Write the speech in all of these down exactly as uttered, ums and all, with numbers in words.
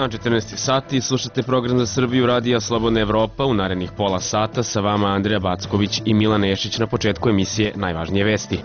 dan, četrnaesti sati, slušate program za Srbiju Radija Slobodna Evropa. U narednih pola sata sa vama Andreja Backović i Milan Nešić. Na početku emisije najvažnije vesti.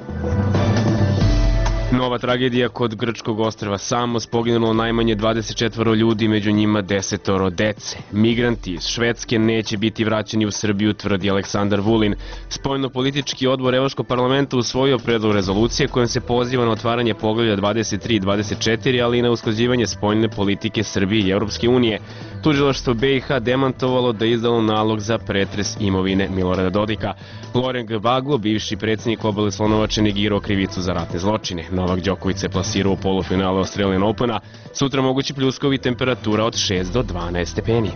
Nova tragedija kod grčkog ostrva Samos, poginulo najmanje dvadeset četvoro ljudi, među njima desetoro dece. Migranti iz Švedske neće biti vraćeni u Srbiju, tvrdi Aleksandar Vulin. Spoljnopolitički odbor Evropskog parlamenta usvojio predlog rezolucije kojom se poziva na otvaranje poglavlja dvadeset tri i dvadeset četiri, ali i na usklađivanje spoljne politike Srbije i Evropske unije. Tužilaštvo B i H demantovalo da je izdalo nalog za pretres imovine Milorada Dodika. Loren Gbagbo, bivši predsjednik obale Slonovače, negirao krivicu za ratne zločine. Novak Đoković se plasirao u polufinalu Australian Opena. Sutra mogući pljuskovi, temperatura od šest do dvanaest stepeni.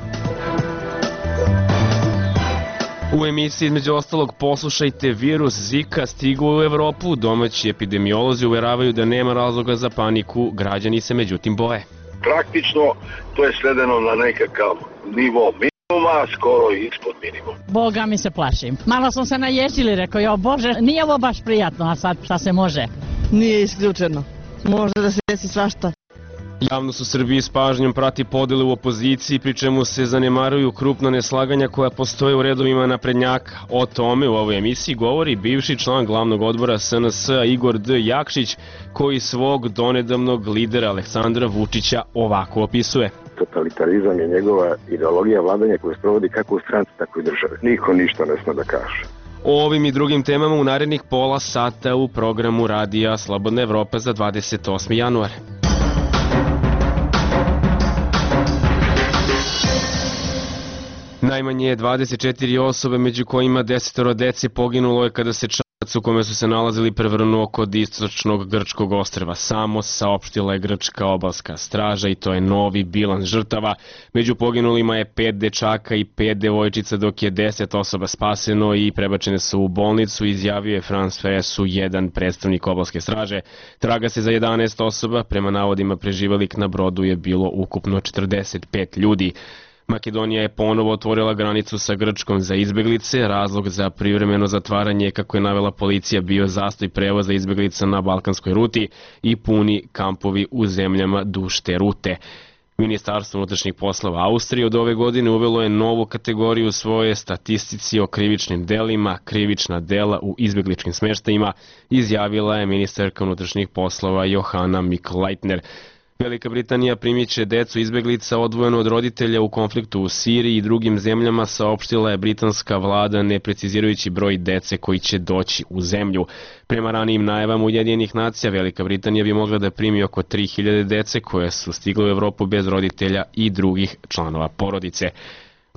U emisiji između ostalog poslušajte, virus Zika stigao u Evropu. Domaći epidemiolozi uveravaju da nema razloga za paniku, građani se međutim boje. Praktično to je svedeno na nekakav nivo minimuma, skoro ispod minimuma. Boga mi se plašim. Malo smo se naježili, rekao, jo Bože, nije ovo baš prijatno, a sad šta se može? Nije isključeno. Može da se desi svašta. Javnost u Srbiji s pažnjom prati podele u opoziciji, pri čemu se zanemaruju krupna neslaganja koja postoje u redovima naprednjaka. O tome u ovoj emisiji govori bivši član glavnog odbora S N S-a Igor D. Jakšić, koji svog donedavnog lidera Aleksandra Vučića ovako opisuje. Totalitarizam je njegova ideologija vladanja koju sprovodi kako u stranci, tako i države. Niko ništa ne sme da kaže. O ovim i drugim temama u narednih pola sata u programu Radija Slobodna Evropa za dvadeset osmi januar. Najmanje dvadeset četiri osobe, među kojima desetoro dece, poginulo je kada se čamac u kome su se nalazili prevrnuo kod istočnog grčkog ostrva Samos, saopštila je grčka obalska straža, i to je novi bilans žrtava. Među poginulima je pet dečaka i pet devojčica, dok je deset osoba spaseno i prebačene su u bolnicu, izjavio je France Pressu jedan predstavnik obalske straže. Traga se za jedanaest osoba, prema navodima preživelih na brodu je bilo ukupno četrdeset pet ljudi. Makedonija je ponovo otvorila granicu sa Grčkom za izbeglice. Razlog za privremeno zatvaranje, kako je navela policija, bio zastoj prevoza izbeglica na balkanskoj ruti i puni kampovi u zemljama duž te rute. Ministarstvo unutrašnjih poslova Austrije od ove godine uvelo je novu kategoriju u svoje statistici o krivičnim delima, krivična dela u izbegličkim smeštajima, izjavila je ministarka unutrašnjih poslova Johanna Mikl-Leitner. Velika Britanija primit će decu izbeglica odvojeno od roditelja u konfliktu u Siriji i drugim zemljama, saopštila je britanska vlada, ne precizirajući broj dece koji će doći u zemlju. Prema ranijim najavama Ujedinjenih nacija, Velika Britanija bi mogla da primi oko tri hiljade dece koje su stigle u Evropu bez roditelja i drugih članova porodice.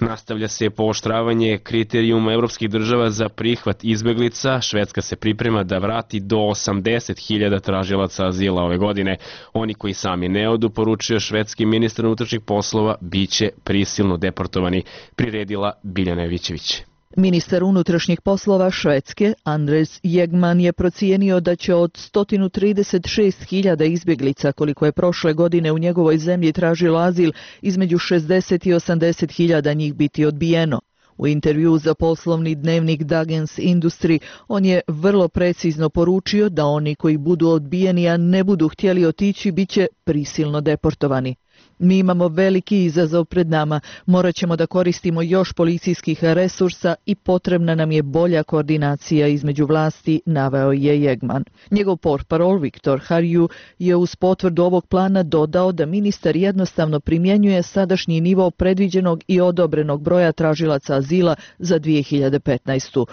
Nastavlja se pooštravanje kriterijuma evropskih država za prihvat izbeglica. Švedska se priprema da vrati do osamdeset hiljada tražilaca azila ove godine. Oni koji sami ne odu, poručio švedski ministar unutrašnjih poslova, biće prisilno deportovani, priredila Biljana Jovićević. Ministar unutrašnjih poslova Švedske, Andres Jegman, je procijenio da će od sto trideset šest hiljada izbjeglica, koliko je prošle godine u njegovoj zemlji tražilo azil, između šezdeset i osamdeset hiljada njih biti odbijeno. U intervju za poslovni dnevnik Dagens Industri on je vrlo precizno poručio da oni koji budu odbijeni, a ne budu htjeli otići, bit će prisilno deportovani. Mi imamo veliki izazov pred nama, morat ćemo da koristimo još policijskih resursa i potrebna nam je bolja koordinacija između vlasti, naveo je Jegman. Njegov portparol Viktor Harju je uz potvrdu ovog plana dodao da ministar jednostavno primjenjuje sadašnji nivo predviđenog i odobrenog broja tražilaca azila za dvije hiljade petnaestu.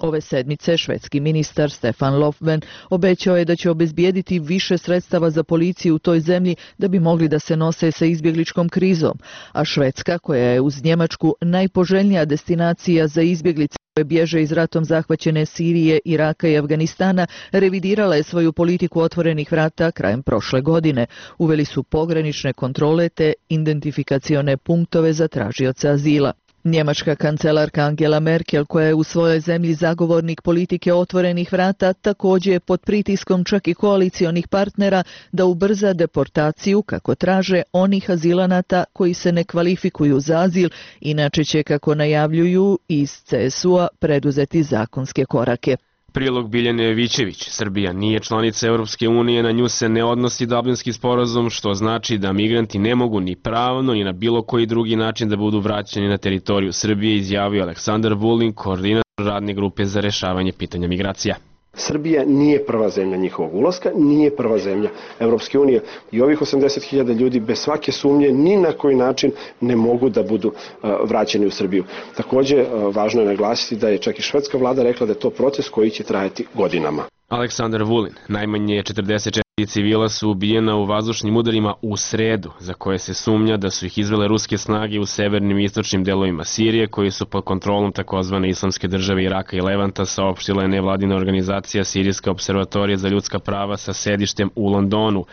Ove sedmice švedski ministar Stefan Löfven obećao je da će obezbijediti više sredstava za policiju u toj zemlji da bi mogli da se nose sa izbjegličkom krizom, a Švedska, koja je uz Njemačku najpoželjnija destinacija za izbjeglice koje bježe iz ratom zahvaćene Sirije, Iraka i Afganistana, revidirala je svoju politiku otvorenih vrata krajem prošle godine. Uveli su pogranične kontrole te identifikacione punktove za tražioce azila. Njemačka kancelarka Angela Merkel, koja je u svojoj zemlji zagovornik politike otvorenih vrata, također je pod pritiskom čak i koalicionih partnera da ubrza deportaciju, kako traže, onih azilanata koji se ne kvalifikuju za azil, inače će, kako najavljuju iz C S U-a, preduzeti zakonske korake. Prilog Biljane Jovićević. Srbija nije članica Europske unije, na nju se ne odnosi Dublinski sporazum, što znači da migranti ne mogu ni pravno ni na bilo koji drugi način da budu vraćeni na teritoriju Srbije, izjavio Aleksandar Vulin, koordinator radne grupe za rešavanje pitanja migracija. Srbija nije prva zemlja njihovog ulaska, nije prva zemlja Evropske unije i ovih osamdeset hiljada ljudi bez svake sumnje ni na koji način ne mogu da budu uh, vraćeni u Srbiju. Takođe, uh, važno je naglasiti da je čak i švedska vlada rekla da je to proces koji će trajati godinama. Aleksandar Vulin. Najmanje četrdeset četiri civila su ubijena u vazdušnim udarima u sredu, za koje se sumnja da su ih izvele ruske snage u severnim i istočnim delovima Sirije, koji su pod kontrolom takozvane Islamske države Iraka i Levanta, saopštila je nevladina organizacija Sirijska observatorija za ljudska prava sa sedištem u Londonu.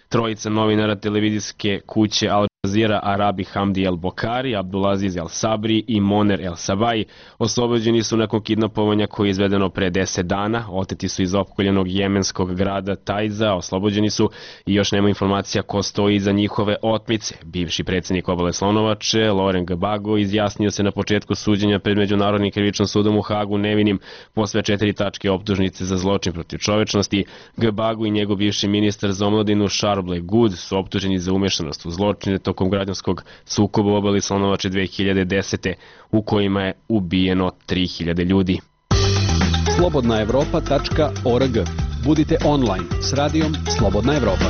Trojica novinara televizijske kuće Al Jazeera, Arabi Hamdi El Bokari, Abdulaziz El Sabri i Moner El Sabai oslobođeni su nakon kidnapovanja koje je izvedeno pre deset dana. Oteti su iz opkoljenog jemenskog grada Tajza, oslobođeni su i još nema informacija ko stoji iza njihove otmice. Bivši predsjednik Obale Slonovače, Laurent Gbagbo, izjasnio se na početku suđenja pred Međunarodnim krivičnim sudom u Hagu nevinim po sve četiri tačke optužnice za zločin protiv čovečnosti. Gbagbo i njegov bivši ministar za omladinu Charles Ble Good su optuženi za umešanost u zločine tokom građanskog sukoba u Obali Slonovače dve hiljade desete. u kojima je ubijeno tri hiljade ljudi. slobodna evropa tačka org. Budite online s radijom Slobodna Evropa.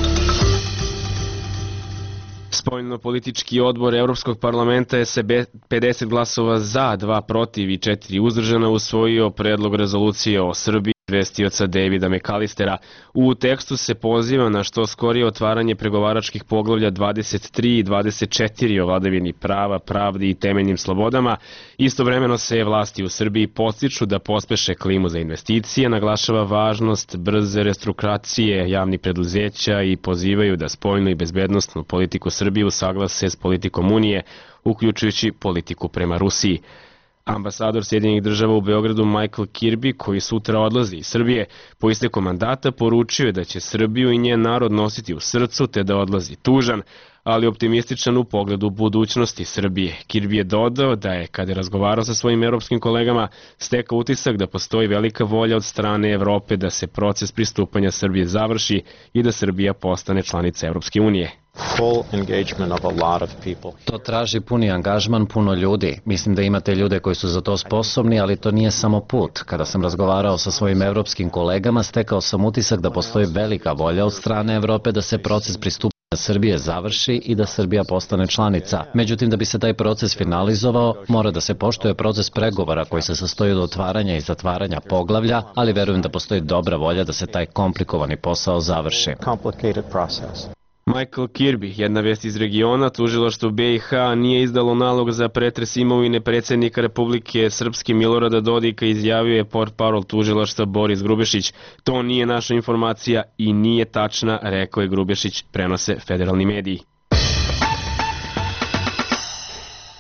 Spoljno-politički odbor Evropskog parlamenta je se pedeset glasova za, dva protiv i četiri uzdržana usvojio predlog rezolucije o Srbiji izvestioca Davida McAllistera. U tekstu se poziva na što skorije otvaranje pregovaračkih poglavlja dvadeset tri i dvadeset četiri o vladavini prava, pravdi i temeljnim slobodama. Istovremeno se vlasti u Srbiji podstiču da pospeše klimu za investicije, naglašava važnost brze restrukturiracije javnih preduzeća i pozivaju da spoljnu i bezbednosnu politiku Srbije usaglase s politikom Unije, uključujući politiku prema Rusiji. Ambasador Sjedinjenih država u Beogradu Michael Kirby, koji sutra odlazi iz Srbije, po isteku mandata poručio je da će Srbiju i njen narod nositi u srcu te da odlazi tužan, ali optimističan u pogledu budućnosti Srbije. Kirby je dodao da je, kada je razgovarao sa svojim evropskim kolegama, stekao utisak da postoji velika volja od strane Evrope da se proces pristupanja Srbije završi i da Srbija postane članica Evropske unije. To traži puni angažman puno ljudi. Mislim da imate ljude koji su za to sposobni, ali to nije samo put. Kada sam razgovarao sa svojim evropskim kolegama, stekao sam utisak da postoji velika volja od strane Evrope da se proces pristupanja Srbije završi i da Srbija postane članica. Međutim, da bi se taj proces finalizovao, mora da se poštuje proces pregovora koji se sastoji od otvaranja i zatvaranja poglavlja, ali verujem da postoji dobra volja da se taj komplikovani posao završi. Michael Kirby, jedna vest iz regiona, tužilaštvo be i ha nije izdalo nalog za pretres imovine predsjednika Republike Srpske Milorada Dodika, izjavio je portparol tužilaštva Boris Grubešić. To nije naša informacija i nije tačna, rekao je Grubešić, prenose federalni mediji.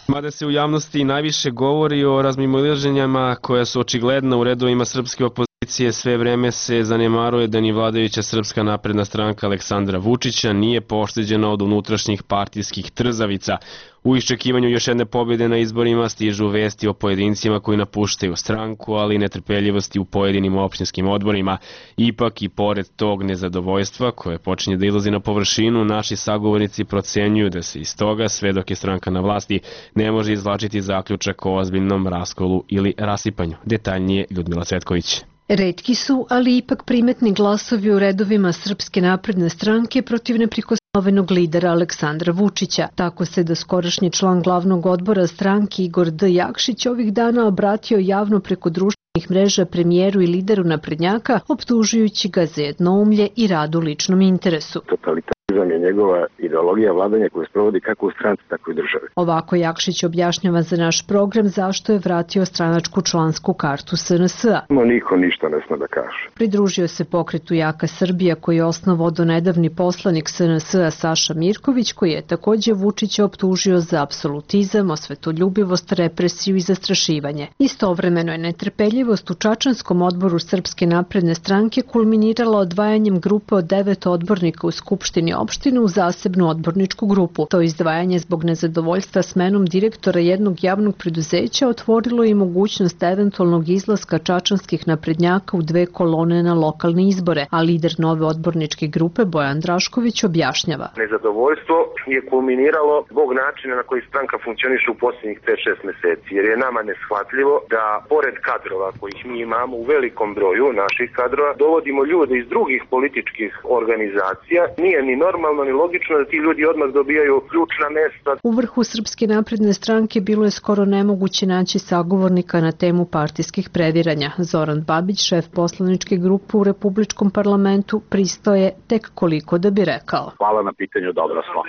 Mada se u javnosti najviše govori o razmimoilaženjima koja su očigledna u redovima srpske opozicije, sve vreme se zanemaruje da ni vladajuća Srpska napredna stranka Aleksandra Vučića nije pošteđena od unutrašnjih partijskih trzavica. U iščekivanju još jedne pobjede na izborima stižu vesti o pojedincima koji napuštaju stranku, ali i netrpeljivosti u pojedinim opštinskim odborima. Ipak i pored tog nezadovoljstva koje počinje da izlazi na površinu, naši sagovornici procenjuju da se iz toga, sve dok je stranka na vlasti, ne može izvlačiti zaključak o ozbiljnom raskolu ili rasipanju. Detaljnije Ljudmila Cvetković. Retki su, ali ipak primetni glasovi u redovima Srpske napredne stranke protiv neprikosnovenog lidera Aleksandra Vučića. Tako se da skorašnji član glavnog odbora stranke Igor D. Jakšić ovih dana obratio javno preko društvenih mreža premijeru i lideru naprednjaka, optužujući ga za jednoumlje i rad u ličnom interesu. Totalitarizam je njegova ideologija vladanja koju sprovodi kako u stranci, tako i u državi. Ovako Jakšić objašnjava za naš program zašto je vratio stranačku člansku kartu es en es a. No, niko ništa ne sme da kaže. Pridružio se pokretu Jaka Srbija koji je osnovao donedavni poslanik es en es a Saša Mirković, koji je takođe Vučića optužio za apsolutizam, osvetoljubivost, represiju i zastrašivanje. Istovremeno je netrpeljivost u Čačanskom odboru Srpske napredne stranke kulminirala odvajanjem grupe od devet odbornika u Skupštini formiranje opštine u zasebnu odborničku grupu. To izdvajanje zbog nezadovoljstva smenom direktora jednog javnog preduzeća otvorilo i mogućnost eventualnog izlaska čačanskih naprednjaka u dve kolone na lokalne izbore, a lider nove odborničke grupe Bojan Drašković objašnjava. Nezadovoljstvo je kulminiralo zbog načina na koji stranka funkcioniše u posljednjih pet šest meseci, jer je nama neshvatljivo da pored kadrova kojih mi imamo u velikom broju naših kadrova, dovodimo ljude iz drugih političkih organizacija. Nije ni normalno ni logično da ti ljudi odmah dobijaju ključna mesta. U vrhu Srpske napredne stranke bilo je skoro nemoguće naći sagovornika na temu partijskih previranja. Zoran Babić, šef poslaničke grupe u Republičkom parlamentu, pristao je tek koliko da bi rekao. Hvala na pitanju, dobro smo.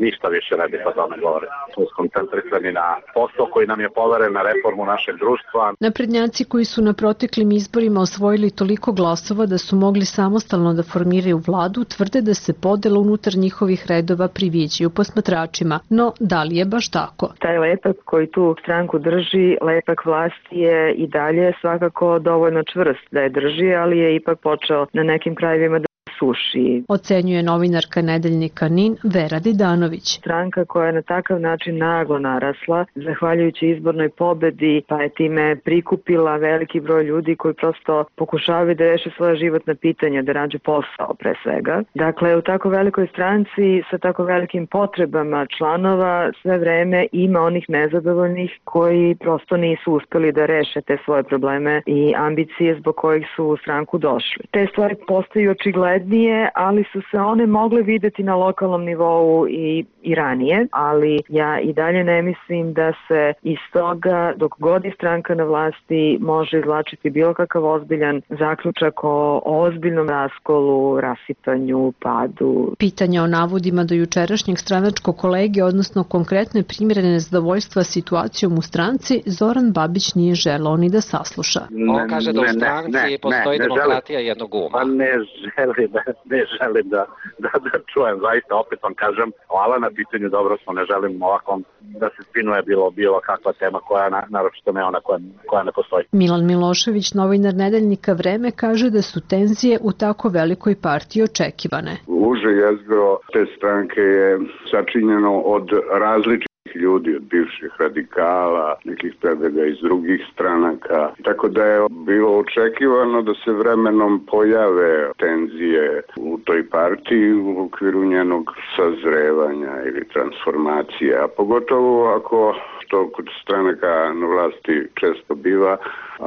Ništa više ne bih o tome govorio. Smo skoncentrisani na posao koji nam je poveren, na reformu našeg društva. Naprednjaci koji su na proteklim izborima osvojili toliko glasova da su mogli samostalno da formiraju vladu, tvrde da se podela unutar njihovih redova priviđaju posmatračima. No, da li je baš tako? Taj lepak koji tu stranku drži, lepak vlasti je i dalje svakako dovoljno čvrst da je drži, ali je ipak počeo na nekim krajevima da suši. Ocenjuje novinarka nedeljnika NIN Vera Didanović. Stranka koja je na takav način naglo narasla, zahvaljujući izbornoj pobedi, pa je time prikupila veliki broj ljudi koji prosto pokušavaju da reše svoje životna pitanja, da rađe posao pre svega. Dakle, u tako velikoj stranci sa tako velikim potrebama članova sve vreme ima onih nezadovoljnih koji prosto nisu uspeli da reše te svoje probleme i ambicije zbog kojih su u stranku došli. Te stvari postaju očigledne, ali su se one mogle videti na lokalnom nivou i, i ranije, ali ja i dalje ne mislim da se iz toga, dok god je stranka na vlasti, može izvlačiti bilo kakav ozbiljan zaključak o ozbiljnom raskolu, rasipanju, padu. Pitanja o navodima do jučerašnjeg stranačkog kolege, odnosno konkretne primjere nezadovoljstva situacijom u stranci, Zoran Babić nije želeo ni da sasluša. On kaže da u stranci ne, ne, postoji ne, ne demokratija želim, jednog uma. Pa ne želim, ne, ne želim da, da, da čujem, zaista opet vam kažem, hvala na pitanju, dobro smo, ne želim ovako da se spinuje bilo, bilo kakva tema koja, na, naročito ne ona koja, koja ne postoji. Milan Milošević, novinar nedeljnika Vreme, kaže da su tenzije u tako velikoj partiji očekivane. Uže jezgro te stranke je sačinjeno od različitih ljudi, od bivših radikala, nekih predaga iz drugih stranaka. Tako da je bilo očekivano da se vremenom pojave tenzije u toj partiji u okviru njenog sazrevanja ili transformacije. A pogotovo ako, što kod stranaka na vlasti često biva,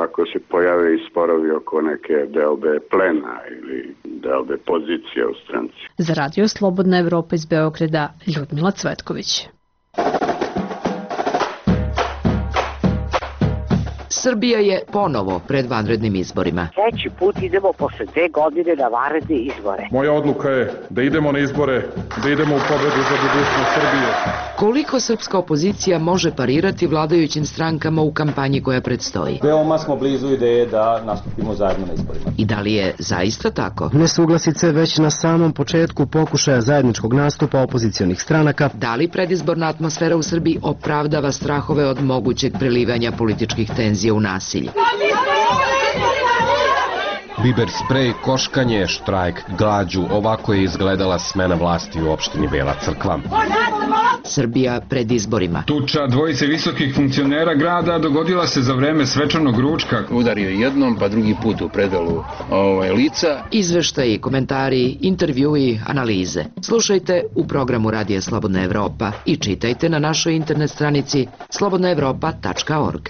ako se pojave i sporovi oko neke delbe plena ili delbe pozicije u stranci. Za Radio Slobodna Evropa iz Beograda, Ljudmila Cvetković. Srbija je ponovo pred vanrednim izborima. Treći put idemo posle dve godine na vanredne izbore. Moja odluka je da idemo na izbore, da idemo u pobedu za budućnost Srbije. Koliko srpska opozicija može parirati vladajućim strankama u kampanji koja predstoji? Veoma smo blizu ideje da nastupimo zajedno na izborima. I da li je zaista tako? Nesuglasice već na samom početku pokušaja zajedničkog nastupa opozicionih stranaka. Da li predizborna atmosfera u Srbiji opravdava strahove od mogućeg prelivanja političkih tenzija u nasilje? Biber sprej, koškanje, štrajk, glađu, ovako je izgledala smena vlasti u opštini Bela Crkva. Srbija pred izborima. Tuča dvojice visokih funkcionera grada dogodila se za vreme svečanog ručka. Udario jednom, pa drugi put u predelu ovaj, lica. Izveštaji, komentari, intervjui, analize. Slušajte u programu Radija Slobodna Evropa i čitajte na našoj internet stranici slobodna evropa tačka org.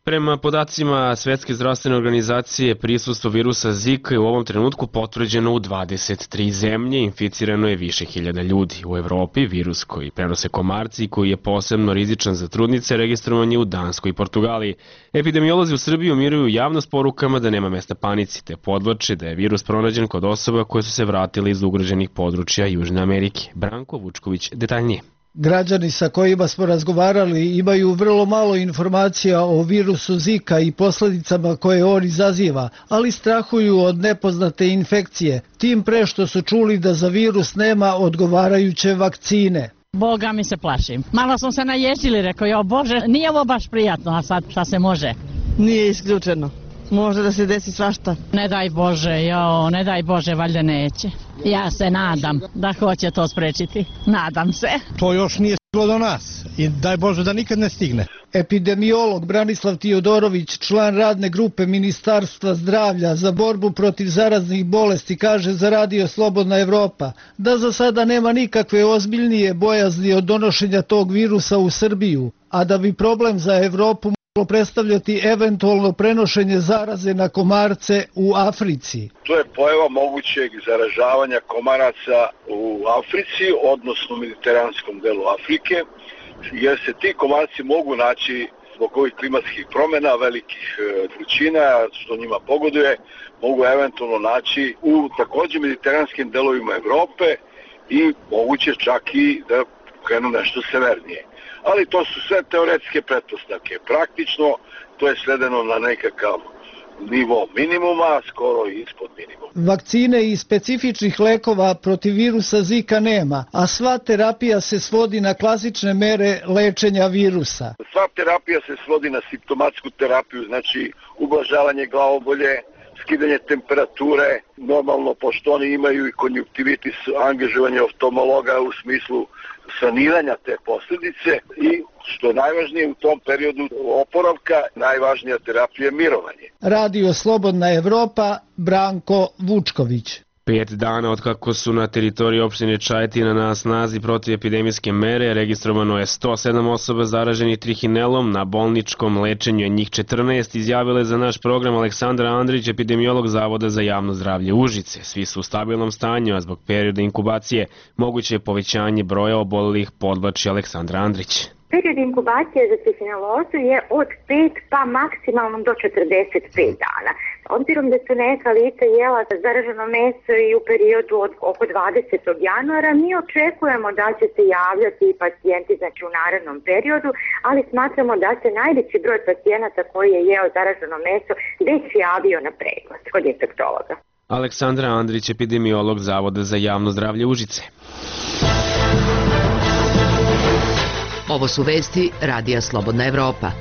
Prema podacima Svetske zdravstvene organizacije, prisustvo virusa Zika je u ovom trenutku potvrđeno u dvadeset tri zemlje, inficirano je više hiljada ljudi. U Evropi virus koji prenose komarci i koji je posebno rizičan za trudnice registrovan je u Danskoj i Portugaliji. Epidemiolozi u Srbiji umiruju javnost porukama da nema mesta panici, te podvlače da je virus pronađen kod osoba koje su se vratile iz ugroženih područja Južne Amerike. Branko Vučković detaljnije. Građani sa kojima smo razgovarali imaju vrlo malo informacija o virusu Zika i posledicama koje on izaziva, ali strahuju od nepoznate infekcije, tim pre što su čuli da za virus nema odgovarajuće vakcine. Boga mi se plašim. Malo smo se naježili, rekao, jo Bože, nije ovo baš prijatno, a sad šta se može? Nije isključeno. Može da se desi svašta. Ne daj Bože, jo, ne daj Bože, valjda neće. Ja se nadam da hoće to sprečiti. Nadam se. To još nije stiglo do nas i daj Bože da nikad ne stigne. Epidemiolog Branislav Tijodorović, član radne grupe Ministarstva zdravlja za borbu protiv zaraznih bolesti, kaže za Radio Slobodna Evropa da za sada nema nikakve ozbiljnije bojazni od donošenja tog virusa u Srbiju, a da bi problem za Evropu moglo predstavljati eventualno prenošenje zaraze na komarce u Africi. To je pojava mogućeg zaražavanja komaraca u Africi, odnosno u mediteranskom delu Afrike, jer se ti komarci mogu naći zbog ovih klimatskih promjena, velikih vrućina, što njima pogoduje, mogu eventualno naći u također mediteranskim delovima Evrope i moguće čak i da krenu nešto severnije. Ali to su sve teoretske pretpostavke. Praktično to je svedeno na nekakav nivo minimuma, skoro ispod minimuma. Vakcine i specifičnih lekova protiv virusa Zika nema, a sva terapija se svodi na klasične mere lečenja virusa. Sva terapija se svodi na simptomatsku terapiju, znači ublažavanje glavobolje, skidanje temperature, normalno pošto oni imaju i konjunktivitis, angažovanje oftalmologa u smislu saniranja te posljedice i što je najvažnije u tom periodu oporavka, najvažnija terapija je mirovanje. Radio Slobodna Evropa, Branko Vučković. Pet dana od kako su na teritoriji opštine Čajetina na snazi protivepidemijske mere, registrovano je sto sedam osoba zaraženih trihinelom, na bolničkom lečenju je njih četrnaest, izjavile za naš program Aleksandra Andrić, epidemiolog Zavoda za javno zdravlje Užice. Svi su u stabilnom stanju, a zbog perioda inkubacije moguće je povećanje broja obolelih, podvlači Aleksandra Andrić. Period inkubacije za trihinelozu je od pet pa maksimalno do četrdeset pet dana. Obzirom da su neka lica jela zaraženo meso i u periodu od oko dvadesetog januara, mi očekujemo da će se javljati pacijenti znači u narednom periodu, ali smatramo da se najveći broj pacijenata koji je jeo zaraženo meso već javio na pregled kod infektologa. Aleksandra Andrić, epidemiolog Zavoda za javno zdravlje Užice. Ovo su vesti Radija Slobodna Evropa.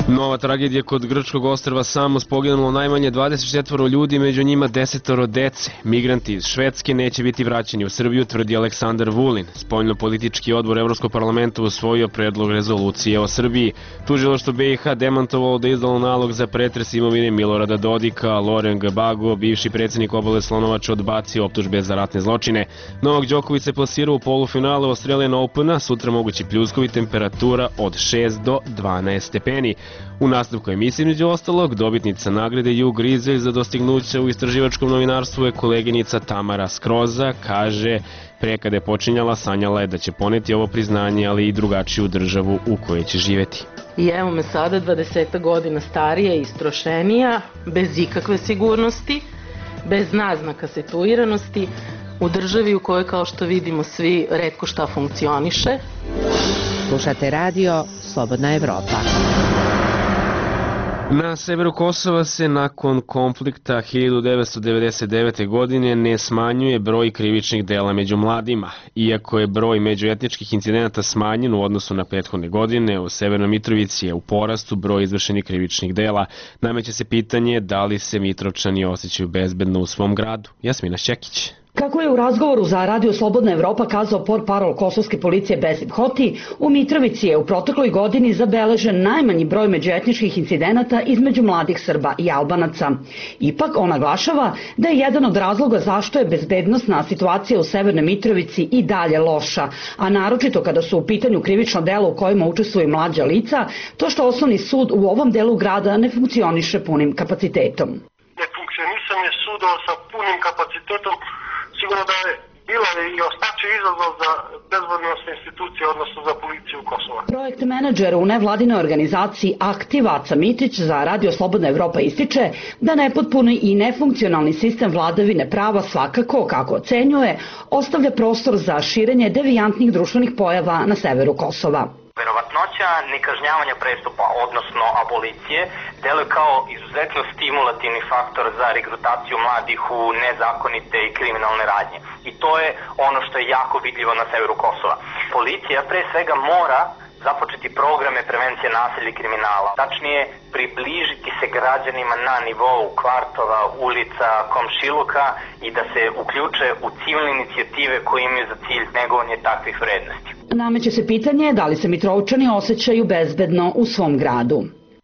Nova tragedija kod grčkog ostrva Samos, poginulo najmanje dvadeset četvoro ljudi, među njima desetoro dece. Migranti iz Švedske neće biti vraćeni u Srbiju, tvrdi Aleksandar Vulin. Spoljnopolitički odbor Evropskog parlamenta usvojio predlog rezolucije o Srbiji. Tužilaštvo B i H demantovalo da je izdalo nalog za pretres imovine Milorada Dodika, Loren Gbago, bivši predsjednik Obale Slonovača, odbacio optužbe za ratne zločine. Novak Đoković se plasirao u polufinalu Australian Opena, sutra mogući pljuskovi, temperatura od šest do dvanaest stepeni. U nastavku emisije, među ostalog, dobitnica nagrade Ju Grizelj za dostignuće u istraživačkom novinarstvu je koleginica Tamara Skroza. Kaže, pre kada je počinjala, sanjala je da će poneti ovo priznanje, ali i drugačiju državu u kojoj će živeti. I evo me sada, dvadeset godina starija i istrošenija, bez ikakve sigurnosti, bez naznaka situiranosti, u državi u kojoj, kao što vidimo svi, retko šta funkcioniše. Slušate radio Slobodna Evropa. Na severu Kosova se nakon konflikta hiljadu devetsto devedeset devete. godine ne smanjuje broj krivičnih dela među mladima. Iako je broj međuetničkih incidenata smanjen u odnosu na prethodne godine, u Severnoj Mitrovici je u porastu broj izvršenih krivičnih dela. Nameće se pitanje da li se Mitrovčani osjećaju bezbedno u svom gradu. Jasmina Šćekić. Kako je u razgovoru za Radio Slobodna Evropa kazao portparol kosovske policije Besim Hoti, u Mitrovici je u protekloj godini zabeležen najmanji broj međuetničkih incidenata između mladih Srba i Albanaca. Ipak on naglašava da je jedan od razloga zašto je bezbednosna situacija u Severnoj Mitrovici i dalje loša, a naročito kada su u pitanju krivično delo u kojima učestvuju mlađa lica, to što osnovni sud u ovom delu grada ne funkcioniše punim kapacitetom. Nefunkcionisanje sudova sa punim kapacitetom sigurno da je bila i ostaće izazov za bezbednosne institucije, odnosno za policiju Kosova. Projekt menadžer u nevladinoj organizaciji Aktiv Aca Mitić za Radio Slobodna Evropa ističe da nepotpuni i nefunkcionalni sistem vladavine prava svakako, kako ocenjuje, ostavlja prostor za širenje devijantnih društvenih pojava na severu Kosova. Verovatnoća nekažnjavanja prestupa, odnosno abolicije, deluje kao izuzetno stimulativni faktor za regrutaciju mladih u nezakonite i kriminalne radnje. I to je ono što je jako vidljivo na severu Kosova. Policija pre svega mora započeti programe prevencije nasilja i kriminala. Tačnije, približiti se građanima na nivou kvartova, ulica, komšiluka i da se uključe u civilne inicijative koje imaju za cilj negovanje takvih vrednosti. Nameće se pitanje da li se Mitrovčani osjećaju bezbedno u svom gradu.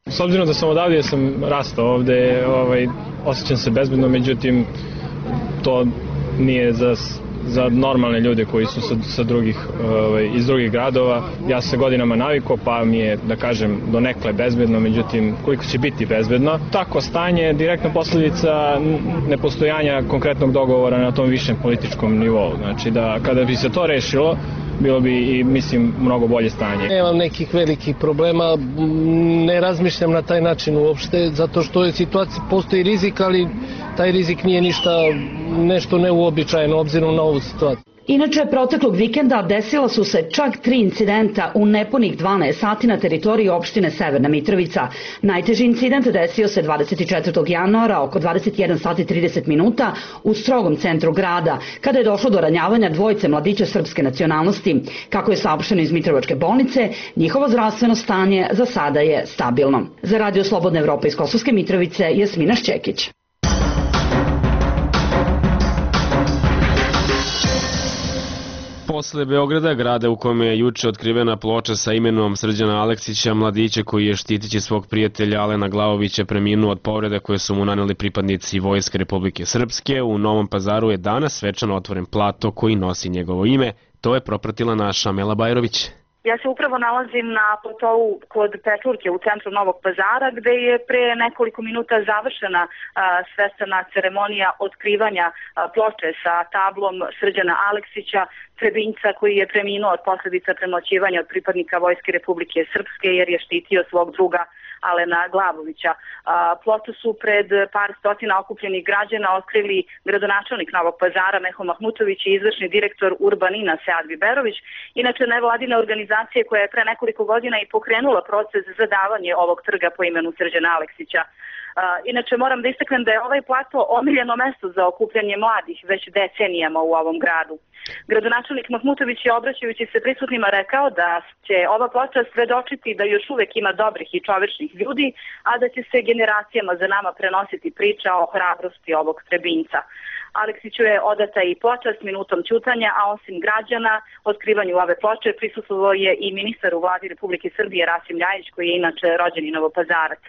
S obzirom da sam odavde, ja sam rastao ovde, ovaj, osjećam se bezbedno, međutim to nije za, za normalne ljude koji su sa, sa drugih, ovaj, iz drugih gradova. Ja sam se godinama navikao, pa mi je, da kažem, donekle bezbedno, međutim koliko će biti bezbedno. Tako stanje je direktna posljedica nepostojanja konkretnog dogovora na tom višem političkom nivou. Znači da kada bi se to rešilo, bilo bi i, mislim, mnogo bolje stanje. Nemam nekih velikih problema, ne razmišljam na taj način uopšte, zato što je situacija, postoji rizik, ali taj rizik nije ništa, nešto neuobičajeno obzirom na ovu situaciju. Inače, proteklog vikenda desila su se čak tri incidenta u nepunih dvanaest sati na teritoriji opštine Severna Mitrovica. Najteži incident desio se dvadeset četvrtog januara oko dvadeset jedan sati i trideset minuta u strogom centru grada, kada je došlo do ranjavanja dvojice mladića srpske nacionalnosti. Kako je saopšteno iz Mitrovačke bolnice, njihovo zdravstveno stanje za sada je stabilno. Za Radio Slobodna Evropa iz Kosovske Mitrovice, Jasmina Šćekić. Posle Beograda, grada u kome je juče otkrivena ploča sa imenom Srđana Aleksića, mladića koji je štitići svog prijatelja Alena Glavovića preminuo od povreda koje su mu naneli pripadnici Vojske Republike Srpske, u Novom Pazaru je danas svečano otvoren plato koji nosi njegovo ime. To je propratila naša Mela Bajrović. Ja se upravo nalazim na platovu kod Pečurke u centru Novog Pazara, gde je pre nekoliko minuta završena a, svečana ceremonija otkrivanja a, ploče sa tablom Srđana Aleksića, Trebinjca koji je preminuo od posljedica premoćivanja od pripadnika Vojske Republike Srpske jer je štitio svog druga Alena Glavovića. Ploču su pred par stotina okupljenih građana otkrili gradonačelnik Novog Pazara Meho Mahmutović i izvršni direktor Urbanina Sead Biberović, inače nevladine organizacije koja je pre nekoliko godina i pokrenula proces za davanje ovog trga po imenu Srđana Aleksića. Inače moram da istaknem da je ovaj plato omiljeno mesto za okupljanje mladih već decenijama u ovom gradu. Gradonačelnik Mahmutović je obraćajući se prisutnima rekao da će ova ploča svedočiti da još uvek ima dobrih i čovečnih ljudi, a da će se generacijama za nama prenositi priča o hrabrosti ovog Trebinjca. Aleksiću je odata i ploča s minutom ćutanja, a osim građana, otkrivanju ove ploče prisustvovao je i ministar u vladi Republike Srbije Rasim Ljajić, koji je inače rođeni Novopazarac.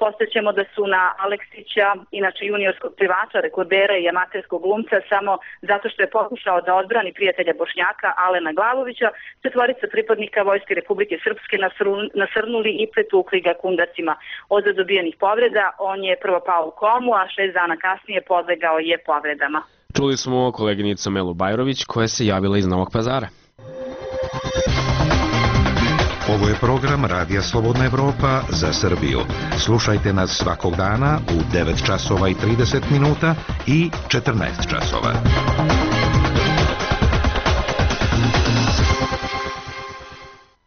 Postaćemo da su na Aleksića, inače juniorskog plivača, rekordera i amaterskog glumca, samo zato što je pokušao da odbrani prijatelja Bošnjaka Alena Glavovića, četvorica pripadnika Vojske Republike Srpske nasrnuli i pretukli ga kundacima. Od dobijenih povreda on je prvo pao u komu, a šest dana kasnije podlegao je povredama. Čuli smo koleginicu Melu Bajrović koja se javila iz Novog Pazara. Ovo je program Radija Slobodna Evropa za Srbiju. Slušajte nas svakog dana u devet časova i trideset minuta i četrnaest časova.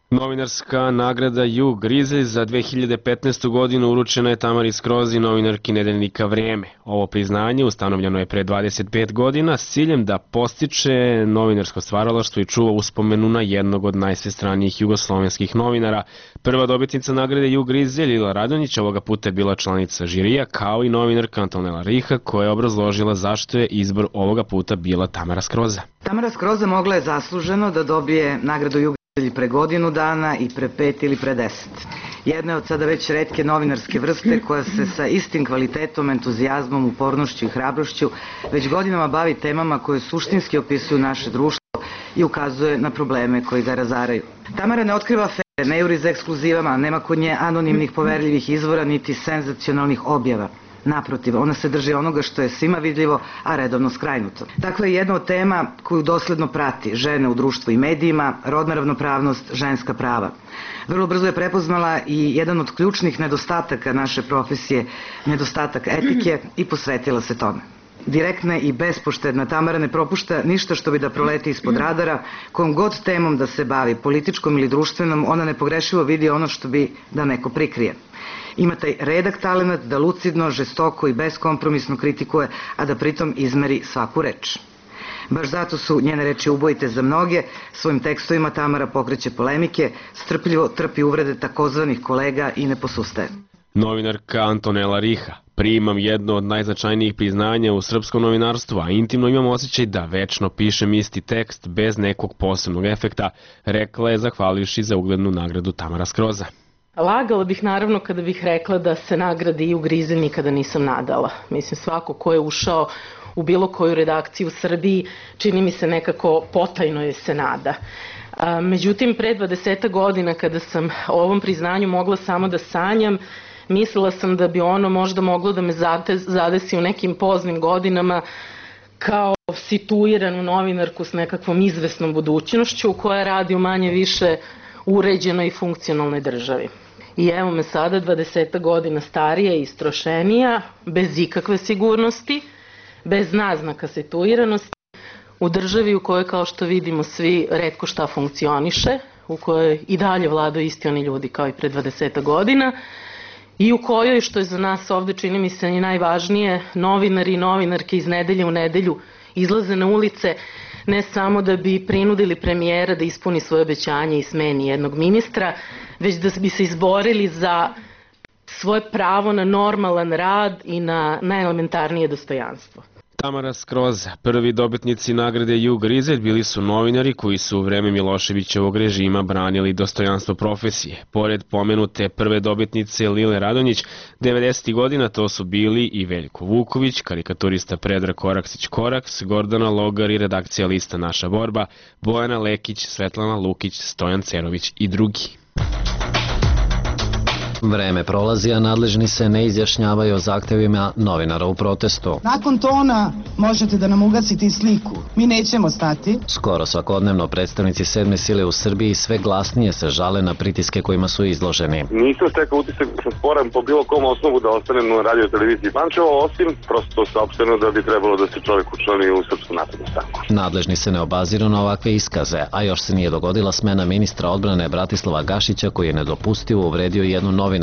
Novinarska nagrada Jug Grizelj za dve hiljade petnaestu. godinu uručena je Tamari Skrozi, novinarki nedeljnika Vrijeme. Ovo priznanje ustanovljeno je pre dvadeset pet godina s ciljem da postiče novinarsko stvaralaštvo i čuva uspomenu na jednog od najsvestranijih jugoslovenskih novinara. Prva dobitnica nagrade Jug Grizelj, Lila Radonjić, ovoga puta je bila članica žirija, kao i novinarka Antonela Riha, koja je obrazložila zašto je izbor ovoga puta bila Tamara Skroza. Tamara Skroza mogla je zasluženo da dobije nagradu Jug ili pre godinu dana i pre pet ili pre deset. Jedna je od sada već retke novinarske vrste koja se sa istim kvalitetom, entuzijazmom, upornošću i hrabrošću već godinama bavi temama koje suštinski opisuju naše društvo i ukazuje na probleme koji ga razaraju. Tamara ne otkriva afere, ne juri za ekskluzivama, nema kod nje anonimnih poverljivih izvora niti senzacionalnih objava. Naprotiv, ona se drži onoga što je svima vidljivo, a redovno skrajnuto. Takva je jedna od tema koju dosledno prati žene u društvu i medijima, rodna ravnopravnost, ženska prava. Vrlo brzo je prepoznala i jedan od ključnih nedostataka naše profesije, nedostatak etike, i posvetila se tome. Direktna i bespoštedna Tamara ne propušta ništa što bi da proleti ispod radara, kojom god temom da se bavi, političkom ili društvenom, ona nepogrešivo vidi ono što bi da neko prikrije. Ima taj redak talenat da lucidno, žestoko i beskompromisno kritikuje, a da pritom izmeri svaku reč. Baš zato su njene reči ubojite za mnoge. Svojim tekstovima Tamara pokreće polemike, strpljivo trpi uvrede takozvanih kolega i ne posustaje. Novinarka Antonela Riha: primam jedno od najznačajnijih priznanja u srpskom novinarstvu, a intimno imam osjećaj da večno pišem isti tekst bez nekog posebnog efekta, rekla je zahvalivši za uglednu nagradu Tamara Skroza. Lagala bih naravno kada bih rekla da se nagrade i ugrize nikada nisam nadala. Mislim, svako ko je ušao u bilo koju redakciju u Srbiji, čini mi se nekako potajno je se nada. Međutim, pre dvadeset godina kada sam o ovom priznanju mogla samo da sanjam, mislila sam da bi ono možda moglo da me zadesi u nekim poznim godinama kao situiranu novinarku s nekakvom izvesnom budućnošću koja radi u manje više uređenoj i funkcionalnoj državi. I evo me sada, dvadeset godina starija i istrošenija, bez ikakve sigurnosti, bez naznaka situiranosti, u državi u kojoj, kao što vidimo svi, retko šta funkcioniše, u kojoj i dalje vladaju isti oni ljudi kao i pre dvadeset godina, i u kojoj, što je za nas ovde čini mi se i najvažnije, novinari i novinarke iz nedelje u nedelju izlaze na ulice ne samo da bi prinudili premijera da ispuni svoje obećanje i smeni jednog ministra, već da bi se izborili za svoje pravo na normalan rad i na najelementarnije dostojanstvo. Tamara Skroza, prvi dobitnici nagrade Jug Grizelj, bili su novinari koji su u vreme Miloševićevog režima branili dostojanstvo profesije. Pored pomenute prve dobitnice Lile Radonjić, devedesetih godina to su bili i Veljko Vuković, karikaturista Predrag Koraksić-Koraks, Gordana Logar i redakcija lista Naša borba, Bojana Lekić, Svetlana Lukić, Stojan Cerović i drugi. Vreme prolazi, a nadležni se ne izjašnjavaju o zahtevima novinara u protestu. Nakon tona možete da nam ugasite i sliku. Mi nećemo stati. Skoro svakodnevno predstavnici sedme sile u Srbiji sve glasnije se žale na pritiske kojima su izloženi. Nisam stekao utisak da sam sporan po bilo kom osnovu da ostanem na radio televiziji Pančevo, osim prosto saopšteno da bi trebalo da se čovjek učlani u Srpsku naprednu stranku. Nadležni se ne obaziru na ovakve iskaze, a još se nije dogodila smena ministra odbrane Bratislava Gašića koji je nedopustivo uvredio jednu novinarku,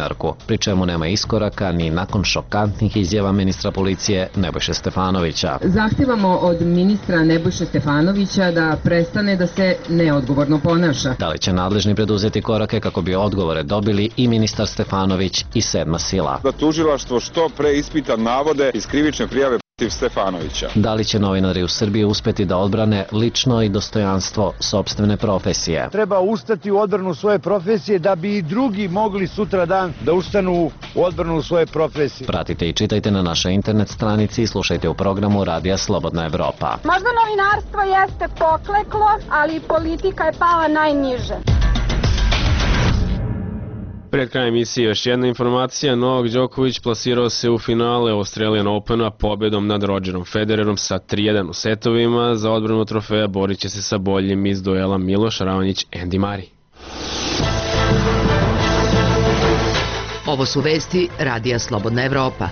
pri čemu nema iskoraka ni nakon šokantnih izjava ministra policije Nebojše Stefanovića. Zahtevamo od ministra Nebojše Stefanovića da prestane da se neodgovorno ponaša. Da li će nadležni preduzeti korake kako bi odgovore dobili i ministar Stefanović i sedma sila? Da tužilaštvo što pre ispita navode iz krivične prijave protiv Stefanovića. Da li će novinari u Srbiji uspeti da odbrane lično i dostojanstvo sopstvene profesije? Treba ustati u odbranu svoje profesije da bi i drugi mogli sutra dan da ustanu u odbranu svoje profesije. Pratite i čitajte na našoj internet stranici i slušajte u programu Radija Slobodna Evropa. Možda novinarstvo jeste pokleklo, ali politika je pala najniže. Pred krajem emisije još jedna informacija. Novak Đoković plasirao se u finale Australian Opena pobedom nad Rogerom Federerom sa tri jedan u setovima. Za odbranu trofeja borit će se sa boljim iz duela Miloš Raonić Andy Murray. Ovo su vesti Radija Slobodna Evropa.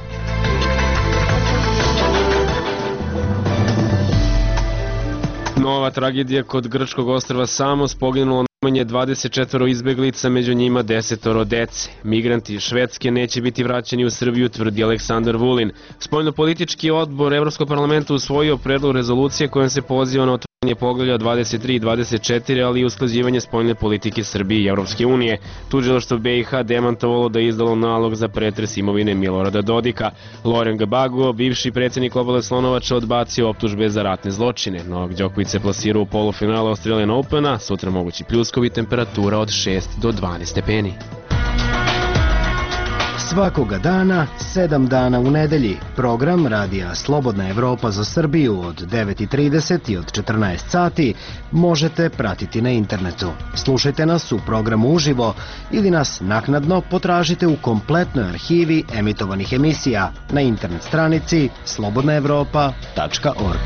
Nova tragedija kod grčkog ostrva Samos, poginulo najmanje dvadeset četiri izbeglica, među njima desetoro dece. Migranti iz Švedske neće biti vraćeni u Srbiju, tvrdi Aleksandar Vulin. Spoljnopolitički odbor Evropskog parlamenta usvojio predlog rezolucije kojom se poziva na otvaranje poglavlja dvadeset tri i dvadeset četiri, ali i usklađivanje spoljne politike Srbije i Evropske unije. Tužilaštvo B i H demantovalo da je izdalo nalog za pretres imovine Milorada Dodika. Loren Gbagbo, bivši predsjednik Obale Slonovača, odbacio optužbe za ratne zločine. Novak Đoković se plasirao u polufinalu Australian Opena, sutra mogući pljuskovi, temperatura od šest do dvanaest stepeni. Svakoga dana, sedam dana u nedelji, program Radija Slobodna Evropa za Srbiju od devet i trideset i od četrnaest sati možete pratiti na internetu. Slušajte nas u programu uživo ili nas naknadno potražite u kompletnoj arhivi emitovanih emisija na internet stranici slobodna evropa tačka org.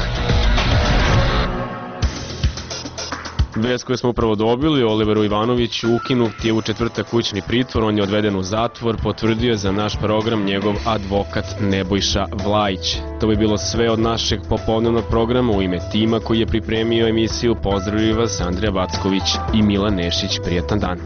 Vest koju smo upravo dobili, Oliveru Ivanoviću ukinut je u četvrtak kućni pritvor, on je odveden u zatvor, potvrdio je za naš program njegov advokat Nebojša Vlajić. To bi bilo sve od našeg popodnevnog programa. U ime tima koji je pripremio emisiju pozdravljaju vas Andrija Vacković i Milan Nešić. Prijetan dan.